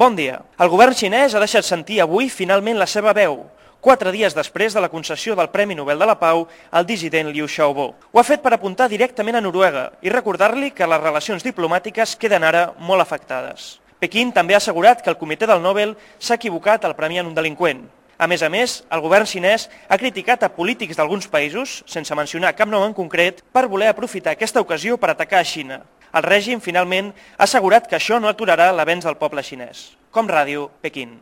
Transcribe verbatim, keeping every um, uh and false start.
Bon dia. El govern xinès ha deixat sentir avui finalment la seva veu, quatre dies després de la concessió del Premi Nobel de la Pau al dissident Liu Xiaobo. Ho ha fet per apuntar directament a Noruega i recordar-li que les relacions diplomàtiques queden ara molt afectades. Pequín també ha assegurat que el comitè del Nobel s'ha equivocat al premiar un delinqüent. A més a més, el govern xinès ha criticat a polítics d'alguns països, sense mencionar cap nom en concret, per voler aprofitar aquesta ocasió per atacar a Xina. El règim, finalment, ha assegurat que això no aturarà l'avenç del poble xinès. Com Ràdio, Pequín.